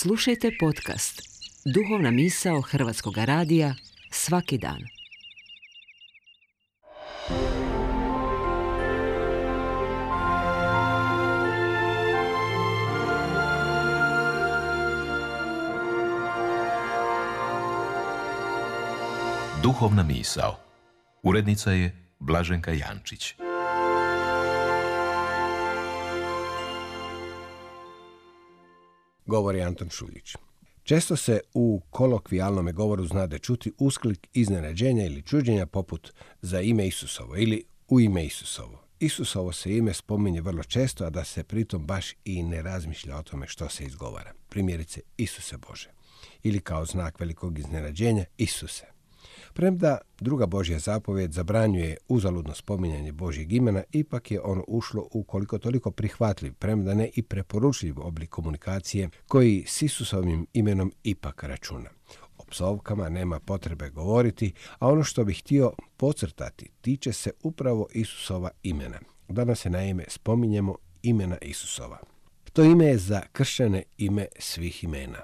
Slušajte podcast Duhovna misao Hrvatskog radija svaki dan. Duhovna misao. Urednica je Blaženka Jančić. Govori Anton Šuljić. Često se u kolokvijalnome govoru znade čuti usklik iznenađenja ili čuđenja poput za ime Isusovo ili u ime Isusovo. Isusovo se ime spominje vrlo često, a da se pritom baš i ne razmišlja o tome što se izgovara. Primjerice, Isuse Bože. Ili kao znak velikog iznenađenja, Isuse. Premda druga Božja zapovijed zabranjuje uzaludno spominjanje Božjeg imena, ipak je ono ušlo u koliko toliko prihvatljiv, premda ne i preporučljiv oblik komunikacije koji s Isusovim imenom ipak računa. O psovkama nema potrebe govoriti, a ono što bih htio podcrtati tiče se upravo Isusova imena. Danas se naime spominjemo imena Isusova. To ime je za kršćane ime svih imena.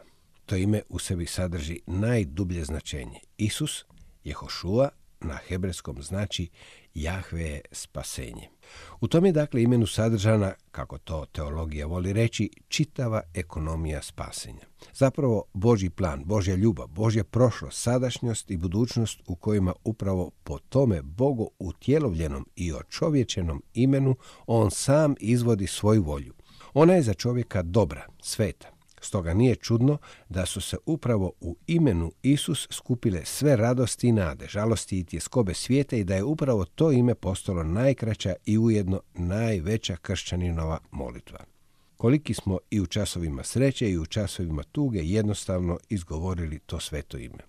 To ime u sebi sadrži najdublje značenje. Isus, Jehošua, na hebrejskom znači Jahve je spasenje. U tom je dakle imenu sadržana, kako to teologija voli reći, čitava ekonomija spasenja. Zapravo Božji plan, Božja ljubav, Božja prošlost, sadašnjost i budućnost u kojima upravo po tome Bogu utjelovljenom i očovječenom imenu on sam izvodi svoju volju. Ona je za čovjeka dobra, sveta. Stoga nije čudno da su se upravo u imenu Isus skupile sve radosti i nade, žalosti i tjeskobe svijeta i da je upravo to ime postalo najkraća i ujedno najveća kršćaninova molitva. Koliki smo i u časovima sreće i u časovima tuge jednostavno izgovorili to sveto ime.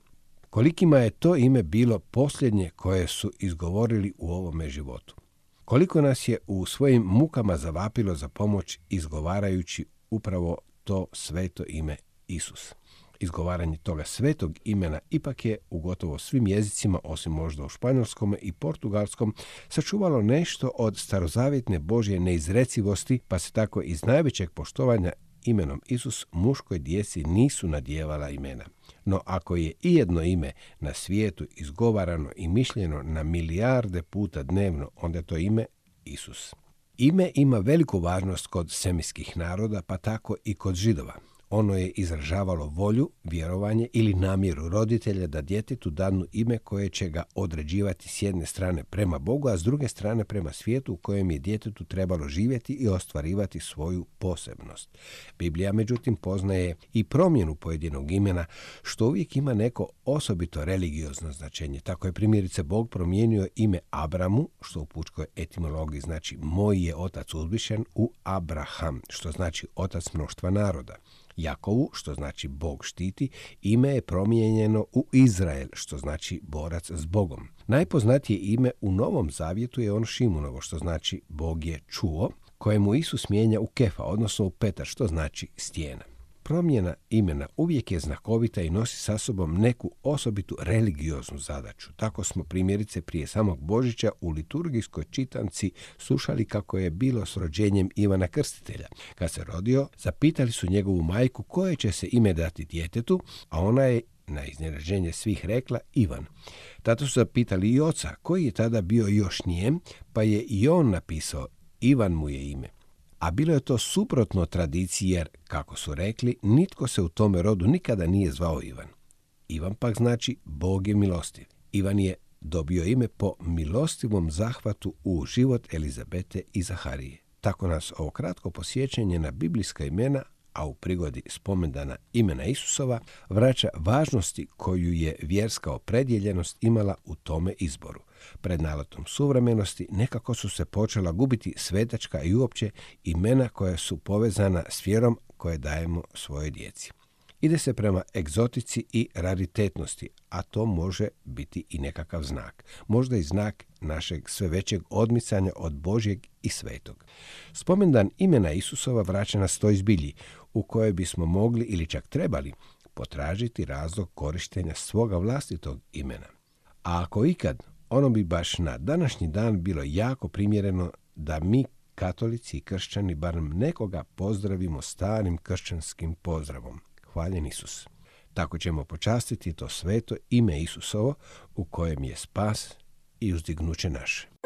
Kolikima je to ime bilo posljednje koje su izgovorili u ovome životu. Koliko nas je u svojim mukama zavapilo za pomoć izgovarajući upravo to sveto ime Isus. Izgovaranje toga svetog imena ipak je u gotovo svim jezicima, osim možda u španjolskom i portugalskom, sačuvalo nešto od starozavjetne Božje neizrecivosti, pa se tako iz najvećeg poštovanja imenom Isus muškoj djeci nisu nadjevala imena. No ako je ijedno ime na svijetu izgovarano i mišljeno na milijarde puta dnevno, onda je to ime Isus. Ime ima veliku važnost kod semijskih naroda, pa tako i kod Židova. Ono je izražavalo volju, vjerovanje ili namjeru roditelja da djetetu danu ime koje će ga određivati s jedne strane prema Bogu, a s druge strane prema svijetu u kojem je djetetu trebalo živjeti i ostvarivati svoju posebnost. Biblija, međutim, poznaje i promjenu pojedinog imena, što uvijek ima neko osobito religiozno značenje. Tako je primjerice Bog promijenio ime Abramu, što u pučkoj etimologiji znači moj je otac uzvišen, u Abraham, što znači otac mnoštva naroda. Jakovu, što znači Bog štiti, ime je promijenjeno u Izrael, što znači borac s Bogom. Najpoznatije ime u Novom Zavjetu je ono Šimunovo, što znači Bog je čuo, kojemu Isus mijenja u Kefa, odnosno u Petar, što znači stijena. Promjena imena uvijek je znakovita i nosi sa sobom neku osobitu religioznu zadaću. Tako smo primjerice prije samog Božića u liturgijskoj čitanci slušali kako je bilo s rođenjem Ivana Krstitelja. Kad se rodio, zapitali su njegovu majku koje će se ime dati djetetu, a ona je na iznenađenje svih rekla Ivan. Tato su zapitali i oca, koji je tada bio još nijem, pa je i on napisao Ivan mu je ime. A bilo je to suprotno tradiciji jer, kako su rekli, nitko se u tome rodu nikada nije zvao Ivan. Ivan pak znači Bog je milostiv. Ivan je dobio ime po milostivom zahvatu u život Elizabete i Zaharije. Tako nas ovo kratko posjećanje na biblijska imena, a u prigodi spomendana imena Isusova, vraća važnosti koju je vjerska opredjeljenost imala u tome izboru. Pred naletom suvremenosti nekako su se počela gubiti svetačka i uopće imena koja su povezana s vjerom koje dajemo svojoj djeci. Ide se prema egzotici i raritetnosti, a to može biti i nekakav znak. Možda i znak našeg sve većeg odmicanja od Božjeg i svetog. Spomendan imena Isusova vraća nas toj zbilji u kojoj bismo mogli ili čak trebali potražiti razlog korištenja svoga vlastitog imena. A ako ikad, ono bi baš na današnji dan bilo jako primjereno da mi, katolici i kršćani, barem nekoga pozdravimo starim kršćanskim pozdravom. hvaljen Isus. Tako ćemo počastiti to sveto ime Isusovo u kojem je spas i uzdignuće naše.